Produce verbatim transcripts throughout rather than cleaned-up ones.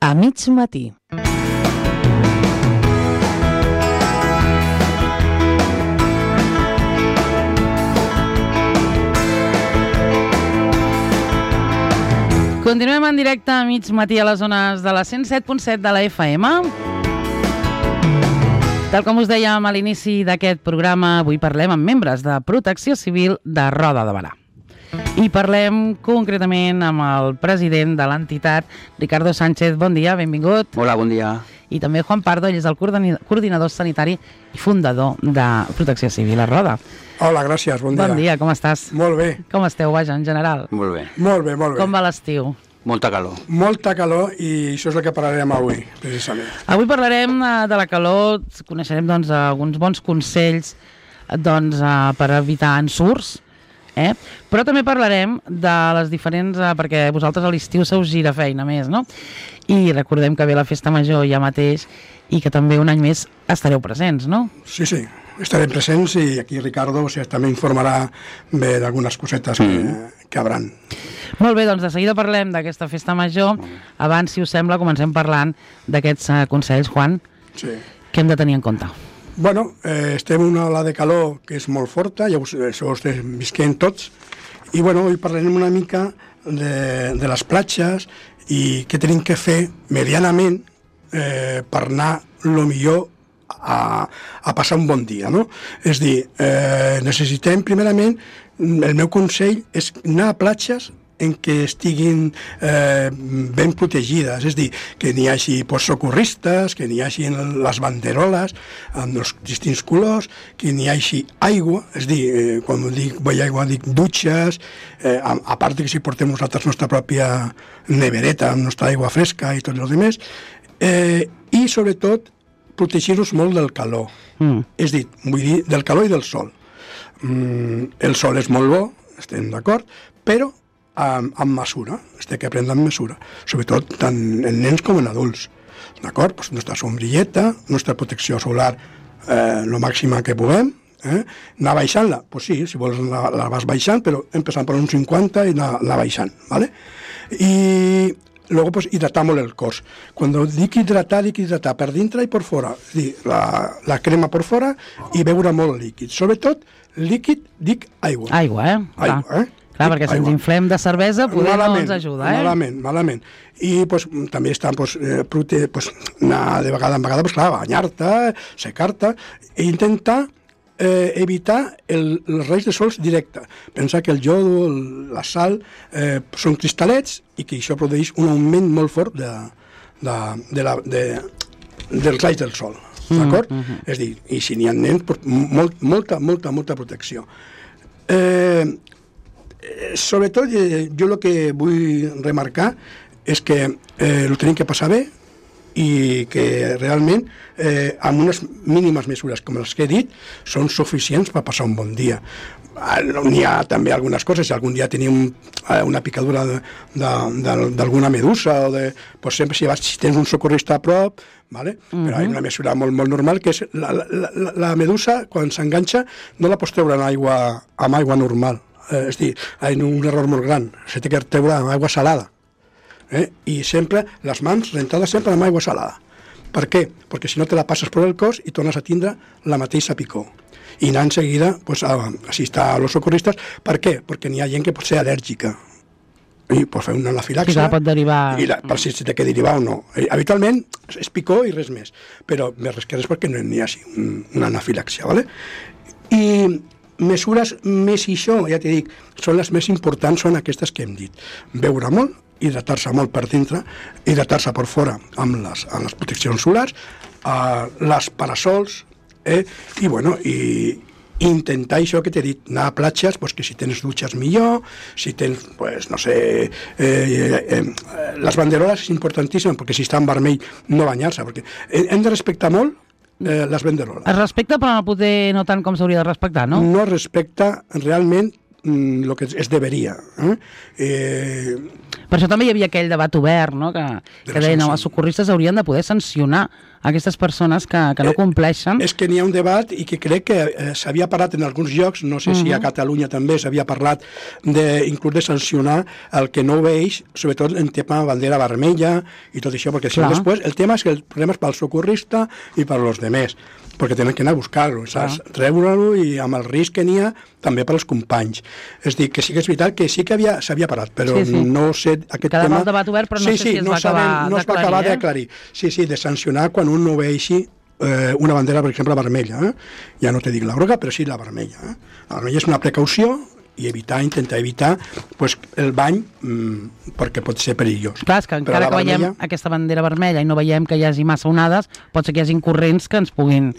a mig matí. Continuem en directe a mig matí a les zones de la cent set punt set de la F M. Tal com us dèiem a l'inici d'aquest programa, avui parlem amb membres de Protecció Civil de Roda de Berà. I parlem concretament amb el president de l'entitat, Ricardo Sánchez. Bon dia, benvingut. Hola, bon dia. I també Juan Pardo, ell és el coordinador sanitari i fundador de Protecció Civil a Roda. Hola, gràcies, bon dia. Bon dia, com estàs? Molt bé. Com esteu, vaja, en general? Molt bé. Molt bé, molt bé. Com va l'estiu? Molta calor. Molta calor i això és el que parlarem avui, precisament. Avui parlarem de la calor, coneixerem doncs, alguns bons consells doncs, per evitar ensurts, eh? Però també parlarem de les diferents, perquè vosaltres a l'estiu se us gira feina més, no? I recordem que ve la festa major ja mateix i que també un any més estareu presents, no? Sí, sí, estarem presents i aquí Ricardo o sigui, també informarà bé d'algunes cosetes que, mm. que hauran. Molt bé, doncs de seguida parlem d'aquesta festa major. Abans, si us sembla, comencem parlant d'aquests uh, consells, Juan, sí. que hem de tenir en compte. Bueno, eh, estem en una ola de calor que és molt forta, ja us, això ho estem visquent tots, i bueno, avui parlarem una mica de, de les platges i què tenim que fer medianament eh, per anar el millor a, a passar un bon dia, no? És dir, eh, necessitem primerament, el meu consell és anar a platges en què estiguin eh, ben protegides, és dir, que n'hi hagi pues, socorristes, que n'hi hagi les banderoles amb els distints colors, que n'hi hagi aigua, és dir, eh, quan dic vull aigua dic dutxes, eh, a, a part que si portem nosaltres nostra pròpia nevereta amb nostra aigua fresca i tot el demés, eh, i sobretot protegir-nos molt del calor, mm. és dir, vull dir, del calor i del sol. Mm, el sol és molt bo, estem d'acord, però amb, amb mesura, es té que prendre amb mesura, sobretot tant en nens com en adults, d'acord? Pues nostra sombrilleta, nostra protecció solar eh, lo màxima que puguem, eh? Anar baixant-la, pues sí, si vols la, la vas baixant, però empezant per un cinquanta i anar, anar baixant, ¿vale? I luego pues hidratar molt el cos. Cuando dic hidratar, dic hidratar per dintre i per fora, és dir, la, la crema per fora i beure molt líquid, sobretot líquid, dic aigua. Aigua, eh? Aigua, Clar. eh? Clar, perquè si ens inflem de cervesa poder malament, no ens ajuda, eh? Malament, malament. I pues, també està pues, eh, prote, pues, anar de vegada en vegada, pues, clar, banyar-te, secar-te, i intentar eh, evitar el, els raigs de sols directe. Pensar que el jodo, el, la sal, eh, són cristal·lets i que això produeix un augment molt fort de, de, de la, de, dels raigs del sol, d'acord? Mm -hmm. És dir, i si n'hi ha nens, pues, molt, molta, molta, molta protecció. Eh, sobretot jo el que vull remarcar és que eh, ho tenim que passar bé i que realment eh, amb unes mínimes mesures com les que he dit són suficients per passar un bon dia. N'hi ha també algunes coses, si algun dia tenim una picadura d'alguna medusa o de, pues sempre si, vas, si tens un socorrista a prop, vale? Uh-huh. Però hi ha una mesura molt, molt normal que és la, la, la, la medusa quan s'enganxa no la pots treure en aigua, amb aigua normal. Eh, és dir, hi ha un error molt gran, se té que treure amb aigua salada, eh? I sempre, les mans rentades sempre amb aigua salada. Per què? Perquè si no te la passes per el cos i tornes a tindre la mateixa picor. I anar en seguida pues, a assistir a los socorristes. Per què? Perquè n'hi ha gent que pot ser al·lèrgica i pot fer una anafilaxia. I la pot derivar. I la, per si té que derivar o no. Eh, habitualment és picor i res més, però més res que res perquè no n'hi hagi un, una anafilaxia, ¿vale? I mesures més i això, ja t'he dit, són les més importants, són aquestes que hem dit. Beure molt, hidratar-se molt per dintre, hidratar-se per fora amb les, amb les proteccions solars, uh, les parasols, eh? I bueno, i intentar això que t'he dit, anar a platges, pues, que si tens dutxes millor, si tens, pues, no sé, eh, eh, eh, les banderoles és importantíssim, perquè si està en vermell no banyar-se, perquè hem de respectar molt Eh, les banderoles. Es respecta, però potser no tant com s'hauria de respectar, no? No es respecta realment el que es deveria. Eh? Eh, Per això també hi havia aquell debat obert, no? que, que deien que els socorristes haurien de poder sancionar aquestes persones que, que no compleixen. Eh, és que n'hi ha un debat i que crec que eh, s'havia parlat en alguns llocs, no sé uh -huh. si a Catalunya també s'havia parlat de, inclús de sancionar el que no obeix, sobretot en tema bandera vermella i tot això, perquè si no després el tema és que el problema és pel socorrista i per los demés, perquè tenen que anar a buscar-lo, saps? Treure-lo i amb el risc que n'hi ha també per als companys. És a dir, que sí que és veritat que sí que havia, s'havia parat, però sí, sí. no sé aquest Quedava tema... el debat obert, però no sí, sé sí, si es no va sabem, acabar no es va acabar eh? d'aclarir. Sí, sí, de sancionar quan un no obeixi eh, una bandera, per exemple, vermella. Eh? Ja no te dic la groga, però sí la vermella. Eh? La vermella és una precaució i evitar, intentar evitar pues, el bany mmm, perquè pot ser perillós. Clar, és que encara que vermella... veiem aquesta bandera vermella i no veiem que hi hagi massa onades, pot ser que hi hagi corrents que ens puguin...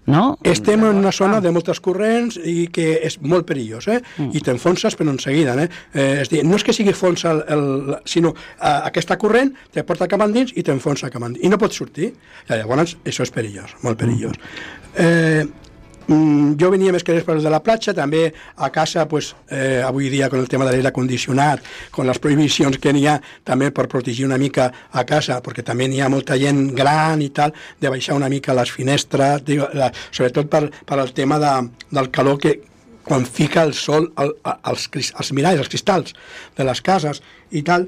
No? Estem en una zona de moltes corrents i que és molt perillós, eh? Mm. I t'enfonses però en seguida, eh? eh? És dir, no és que sigui fons el, el, sinó eh, aquesta corrent te porta cap endins i t'enfonsa cap endins i no pots sortir, i llavors això és perillós, molt perillós. Mm. Eh, jo venia més que res per de la platja, també a casa, pues, eh, avui dia, con el tema de l'aire condicionat, con les prohibicions que n'hi ha, també per protegir una mica a casa, perquè també n'hi ha molta gent gran i tal, de baixar una mica les finestres, digo, la, sobretot per, per el tema de, del calor que quan fica el sol al, als, als miralls, als cristalls de les cases i tal,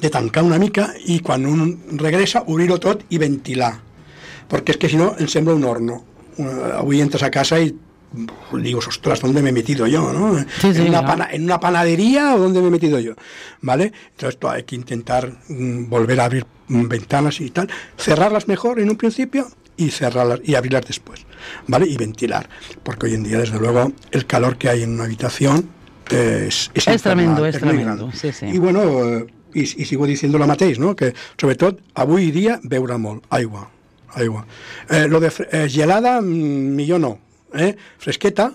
de tancar una mica i quan un regressa, obrir-ho tot i ventilar, perquè és que si no ens sembla un horno. Avui entres a casa y digo, ostras, ¿dónde me he metido yo? ¿no? Sí, sí, ¿En, una pana, ¿En una panadería o dónde me he metido yo? ¿Vale? Entonces esto hay que intentar mm, volver a abrir mm, ventanas y tal, cerrarlas mejor en un principio y cerrarlas y abrirlas después, ¿vale? Y ventilar, porque hoy en día, desde luego, el calor que hay en una habitación eh, es, es, es tremendo, es, es tremendo. Sí, sí. Y bueno, eh, y, y sigo diciendo lo mateix, ¿no? Que sobretot avui dia beure molt, aigua. aigua. Eh, lo de eh, gelada, millor no. Eh? Fresqueta,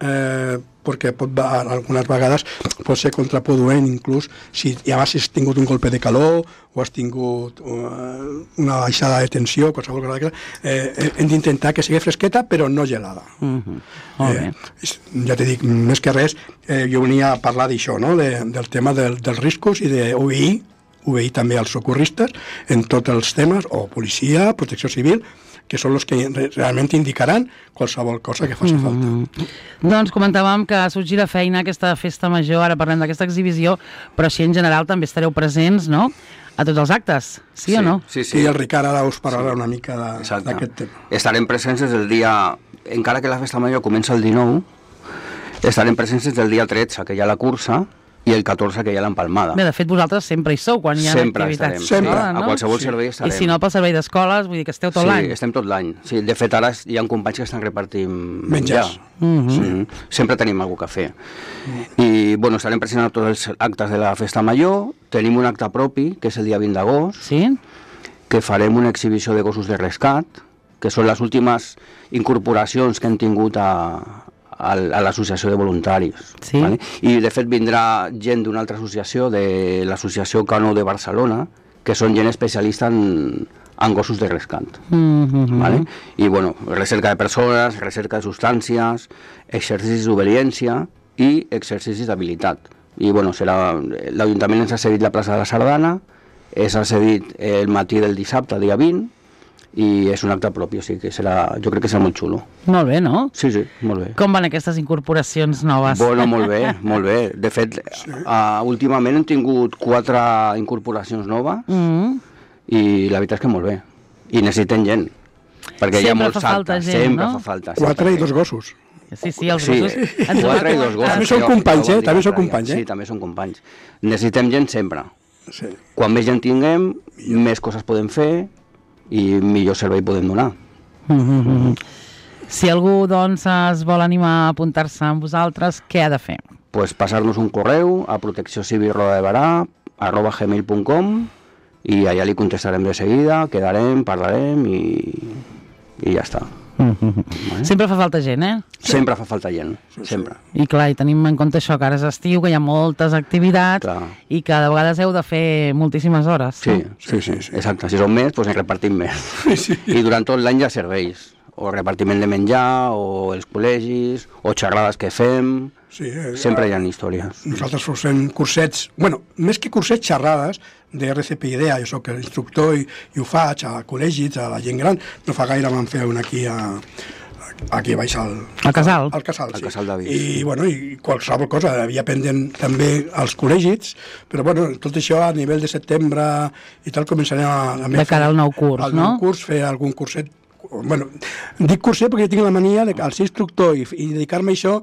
eh, perquè pot, algunes vegades pot ser contraproduent, inclús si ja has tingut un golpe de calor o has tingut uh, una baixada de tensió, qualsevol cosa d'aquesta, eh, hem d'intentar que sigui fresqueta, però no gelada. Uh-huh. Molt bé. Eh, ja t'he dit, més que res, eh, jo venia a parlar d'això, no? de, del tema del, dels riscos i d'obeir obeir també als socorristes en tots els temes, o policia, protecció civil, que són els que realment indicaran qualsevol cosa que faci falta. Mm-hmm. Doncs comentàvem que sorgirà feina aquesta festa major, ara parlem d'aquesta exhibició, però si en general també estareu presents, no?, a tots els actes, sí, sí o no? Sí, sí. I el Ricard ara us parlarà sí. una mica d'aquest tema. Estarem presents des del dia, encara que la festa major comença el dinou, estarem presents des del dia tretze, que hi ha la cursa, i el catorze que hi ha l'empalmada. Bé, de fet, vosaltres sempre hi sou, quan hi ha sempre activitats. Estarem, sempre estarem, no? A qualsevol sí. servei estarem. I si no, pel servei d'escoles, vull dir que esteu tot sí, l'any. Sí, estem tot l'any. Sí, de fet, ara hi ha companys que estan repartint menjars. Mm-hmm. Sí, sempre tenim alguna cosa a fer. Mm. I, bueno, estarem presents a tots els actes de la Festa Major. Tenim un acte propi, que és el dia vint d'agost, sí? que farem una exhibició de gossos de rescat, que són les últimes incorporacions que hem tingut a... a l'associació de voluntaris. Sí. Vale? I de fet vindrà gent d'una altra associació, de l'associació Cano de Barcelona, que són gent especialista en, en gossos de rescat. Mm-hmm. Vale? I bueno, recerca de persones, recerca de substàncies, exercicis d'obediència i exercicis d'habilitat. I bueno, serà, l'Ajuntament ens ha cedit la plaça de la Sardana, ens ha cedit el matí del dissabte, dia vint, i és un acte propi, o sigui que serà, jo crec que serà molt xulo. Molt bé, no? Sí, sí, molt bé. Com van aquestes incorporacions noves? Bueno, molt bé, molt bé. De fet, sí. uh, últimament hem tingut quatre incorporacions noves mm. i la veritat és que molt bé. I necessitem gent, perquè sempre hi ha molts actes, gent, sempre no? fa falta. Quatre i dos gossos. Sí, sí, els sí, gossos. Quatre i dos gossos. També són companys, eh? També són companys, eh? Sí, també són companys. Necessitem gent sempre. Sí. Quan més gent tinguem, més coses podem fer i millor servei podem donar. Mm-hmm. Si algú doncs es vol animar a apuntar-se amb vosaltres, què ha de fer? Pues passar-nos un correu a protecció civil roda de barà arroba gmail punt com i allà li contestarem de seguida, quedarem, parlarem i, i ja està. Mm-hmm. Vale? Sempre fa falta gent, eh? Sempre fa falta gent, sempre. I clar, i tenim en compte això, que ara és estiu, que hi ha moltes activitats clar. I que de vegades heu de fer moltíssimes hores. Sí, no? sí, sí, sí, exacte. Si són més, doncs en repartim més. Sí. I durant tot l'any hi ha serveis. o repartiment de menjar, o els col·legis, o xerrades que fem... Sí, eh, sempre hi ha històries. Nosaltres fem cursets, bueno, més que cursets, xerrades de R C P I D E A. Jo soc instructor i, i ho faig a col·legis, a la gent gran. No fa gaire vam fer un aquí a, aquí baix al... Al Casal. Al Casal, Al sí. Casal d'Avis. I, bueno, i qualsevol cosa havia pendent també als col·legis, però, bueno, tot això a nivell de setembre i tal començarem a... a De cara al nou curs, al no? nou curs, fer algun curset. Bueno, dic curset perquè tinc la mania de, al ser instructor i, i dedicar-me a això,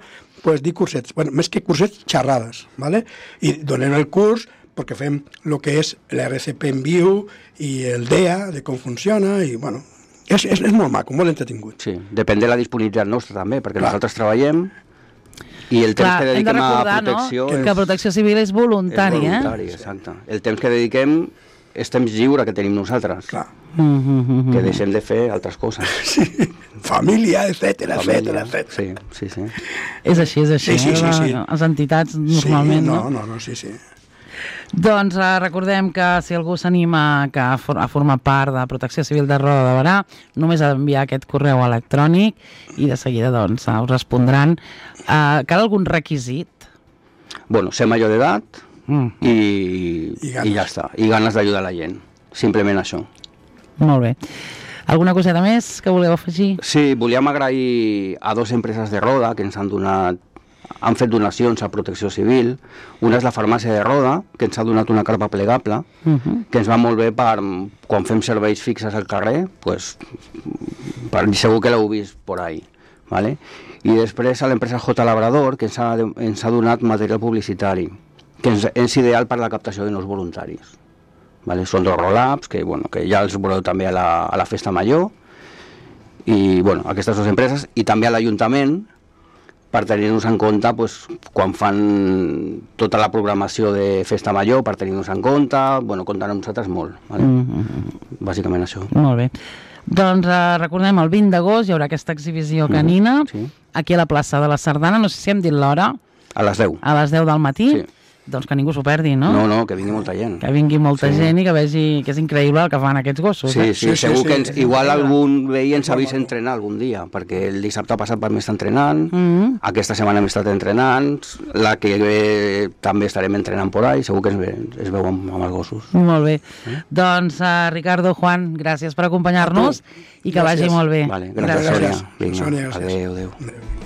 pues dic cursets. Bueno, més que cursets, xerrades, ¿vale? I donem el curs perquè fem el que és l'R C P en viu i el D E A, de com funciona, i, bueno, és, és, és molt maco, molt entretingut. Sí, depèn de la disponibilitat nostra també, perquè Clar. nosaltres treballem i el temps Clar, que hem de dediquem recordar, a protecció no? Que Protecció Civil és voluntari, és voluntari, eh? exacte. El temps que dediquem és temps lliure que tenim nosaltres, Clar. Mm -hmm. que deixem de fer altres coses. Sí. Família, etcètera, etcètera, etcètera. Sí, sí, sí. És així, és així. Sí, sí, sí, eh? sí. Les entitats, normalment, sí, no? no? No, no, sí, sí. Doncs eh, recordem que si algú s'anima a, for a formar part de Protecció Civil de Roda de Barà, només ha d'enviar aquest correu electrònic i de seguida doncs, us respondran. Eh, cal algun requisit? Bueno, ser major d'edat Mm, i, I i, ganes. ja està. I ganes d'ajudar la gent. Simplement això. molt bé. Alguna coseta més que voleu afegir? Sí, volíem agrair a dues empreses de Roda que ens han donat, han fet donacions a Protecció Civil. Una és la farmàcia de Roda, que ens ha donat una carpa plegable, Uh -huh. que ens va molt bé per, quan fem serveis fixes al carrer, pues, per, segur que l'heu vist por ahí, ¿vale? I després a l'empresa J Labrador, que ens ha, ens ha donat material publicitari, que és, és ideal per la captació de nous voluntaris. Vale? Són dos roll-ups, que, bueno, que ja els veureu també a la, a la festa major, i bueno, aquestes dues empreses, i també a l'Ajuntament, per tenir-nos en compte pues, quan fan tota la programació de festa major, per tenir-nos en compte, bueno, compten amb nosaltres molt. Vale? Mm -hmm. Bàsicament això. Molt bé. Doncs eh, recordem, el vint d'agost hi haurà aquesta exhibició canina, Mm, sí. aquí a la plaça de la Sardana, no sé si hem dit l'hora, A les deu. a les deu del matí, Sí. doncs que ningú s'ho perdi, no? No, no, que vingui molta gent. Que vingui molta Sí. gent i que vegi que és increïble el que fan aquests gossos. Sí, eh? sí, Sí, sí, segur sí, que ens, sí. igual algun veí ens ha vist entrenar algun dia, perquè el dissabte passat vam estar entrenant, Mm. aquesta setmana hem estat entrenant, la que ve també estarem entrenant por ahí, segur que es, ve, es veu amb, amb els gossos. Molt bé. Doncs, uh, Ricardo, Juan, gràcies per acompanyar-nos i que Gràcies. vagi molt bé. Vale, gràcies, Gràcies. Sònia. Vinga, Sònia, gràcies. adéu, adéu. Adéu.